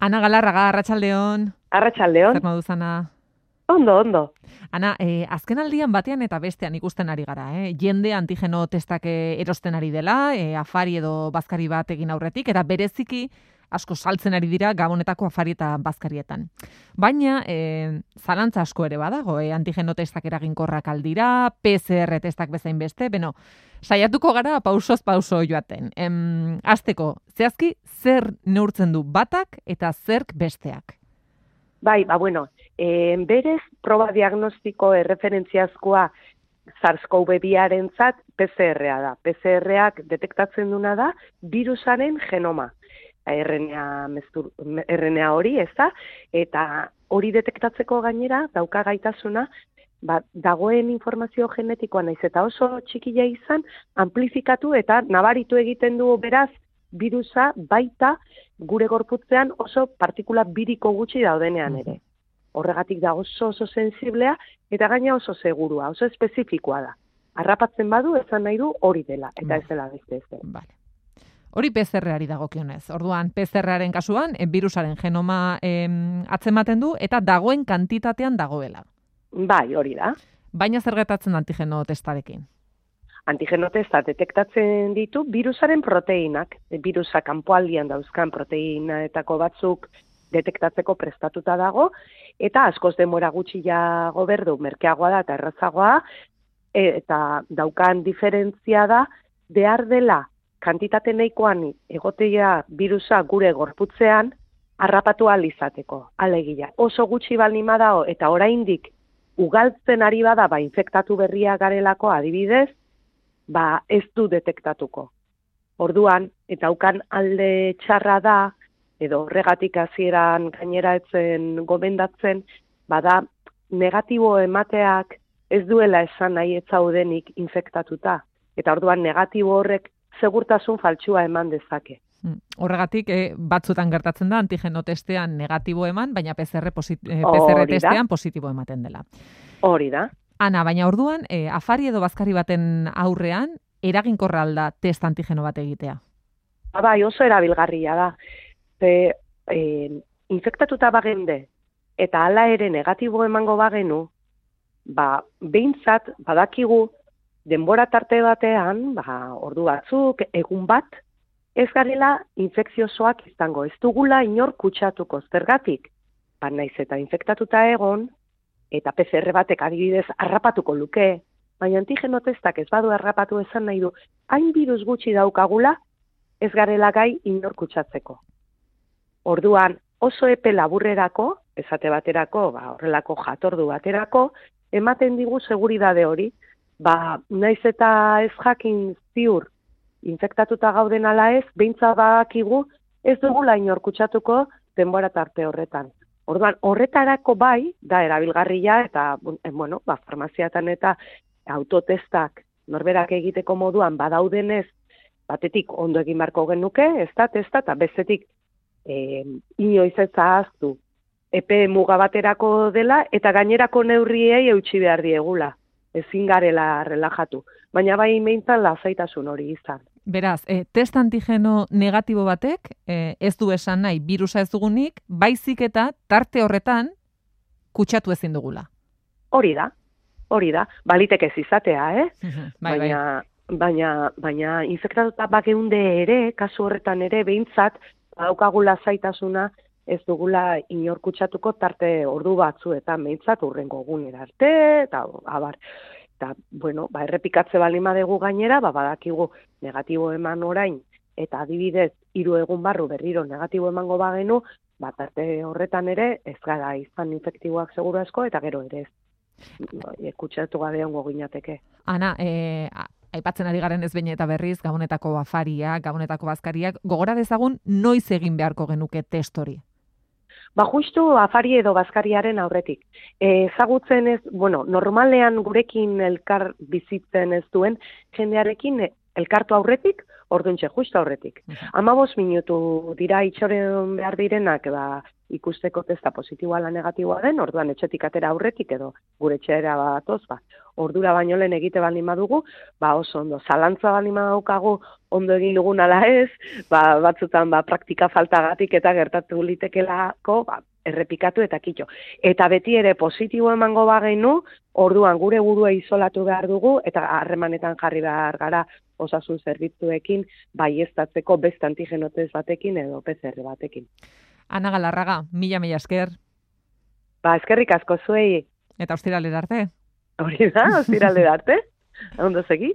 Ana Galarraga, arratsaldeon. Arratsaldeon. Zer moduz, Ana? Ondo. Ana, azken aldian batean eta bestean ikusten ari gara, jende antigeno testak erosten ari dela, afari edo bazkari bat egin aurretik, eta bereziki asko saltzen ari dira Gabonetako afari eta bazkarietan. Baina, zalantza asko ere badago, antigeno testak eraginkorrak aldira, PCR testak bezain beste, saiatuko gara pausoz pauso joaten. Hasteko, zehazki, zer neurtzen du batak eta zerk besteak? Bai, berez, proba diagnostiko erreferentziazkoa SARS-CoV-2-arentzat PCR-a da. PCR-ak detektatzen duna da virusaren genoma. RNA hori, ez da? Eta hori detektatzeko gainera dauka gaitasuna, dagoen informazio genetikoa naiz eta oso txikia izan, amplifikatu eta nabaritu egiten du beraz virusa baita gure gorputzean oso partikula biriko gutxi daudenean ere. Horregatik da oso sensiblea eta gaina oso segurua, oso espezifikoa da. Harrapatzen badu esan nahi du hori dela, eta ez dela beste ez. Vale. Hori PCR-ari dagokionez. Orduan, PCR-aren kasuan, virusaren genoma atzematen du eta dagoen kantitatean dagoela. Bai, hori da. Baina zer gertatzen antigeno testarekin? Antigeno testa detektatzen ditu virusaren proteinak. Virusa kanpoaldian dauzkan proteinetako batzuk detektatzeko prestatuta dago, eta askoz denbora gutxiago berdu, merkeagoa da eta errazagoa, eta daukan diferentzia da, behar dela kantitate nahikoan egotea virusa gure gorputzean harrapatu ahal izateko. Alegia, oso gutxi baldin badago eta oraindik ugaltzen ari bada, infektatu berria garelako adibidez, ez du detektatuko. Orduan, eta daukan alde txarra da, edo horregatik hasieran gainera etzen gomendatzen, bada negatibo emateak ez duela esan nahi ez zaudenik infektatuta. Eta orduan negatibo horrek segurtasun faltsua eman dezake. Horregatik, batzutan gertatzen da antigeno testean negatibo eman, baina PCR testean positibo ematen dela. Hori da. Ana, baina orduan, afari edo bazkari baten aurrean, eraginkorra alda test antigeno bat egitea? Bai, oso erabilgarria da. Infektatuta bagende eta hala ere negatibo emango bagenu, behintzat badakigu denbora tarte batean, ordu batzuk, egun bat, ez garela infekziosoak izango. Ez dugula inor kutsatuko zergatik. Naiz eta infektatuta egon, eta PCR batek adibidez harrapatuko luke, baina antigeno testak ez badu harrapatu esan nahi du, hain virus gutxi daukagula, ez garela gai inor kutsatzeko. Orduan, oso epe laburrerako, esate baterako, horrelako jatordu baterako, ematen digu seguridade hori, naiz eta ez jakin ziur infektatuta gauden ala ez, behintzat badakigu ez dugula inor kutsatuko denbora tarte horretan. Orduan, horretarako da erabilgarria eta, farmaziatan eta autotestak norberak egiteko moduan badaudenez, batetik ondo egin beharko genuke, ez da testa, eta bestetik inoiz ez ahaztu epe muga baterako dela, eta gainerako neurriei eutsi behar diegula. Ezin garela relajatu. Baina meintzan lasaitasun hori izan. Beraz, test antigeno negatibo batek, ez du esan nahi virusa ez dugunik, baizik eta tarte horretan kutsatu ezin dugula. Hori da. Baliteke ez izatea, Baina infektatuta bageunde ere, kasu horretan ere, behintzat, daukagula zaitasuna ez dugula inor kutsatuko tarte ordu batzuetan, behintzat urrengo egunera arte, eta abar. Eta, errepikatze baldin badegu gainera, badakigu negatibo eman orain, eta adibidez, 3 egun barru berriro negatibo emango bagenu, tarte horretan ere, ez gara izan infektiboak seguru asko, eta gero ere ez. Kutsatu gabe ongo ginateke. Ana, aipatzen ari garen ez behin eta berriz, Gabonetako afariak, Gabonetako bazkariak, gogora dezagun noiz egin beharko genuke test hori? Justu afari edo bazkariaren aurretik. Ezagutzen ez, normalean gurekin elkar bizitzen ez duen, jendearekin elkartu aurretik, orduntxe, justu aurretik. 15 minutu dira itxoren behar direnak, ikusteko testa positiboa ala negatiboa den, orduan etxetik atera aurretik edo gure etxera batoz, ordura baino lehen egite baldin badugu, oso ondo. Zalantza baldin badaukagu ondo egin dugun ala ez, batzutan praktika faltagatik eta gertatu litekelako, errepikatu eta kitxo. Eta beti ere positibo emango bagenu, orduan gure burua isolatu behar dugu eta harremanetan jarri behar gara osasun zerbitzuekin baieztatzeko beste antigenotez batekin edo PCR batekin. Ana Galarraga, mila esker. Eskerrik asko zuei. Eta ostiralera arte. Hori da, ostiralera arte. Ondo segi.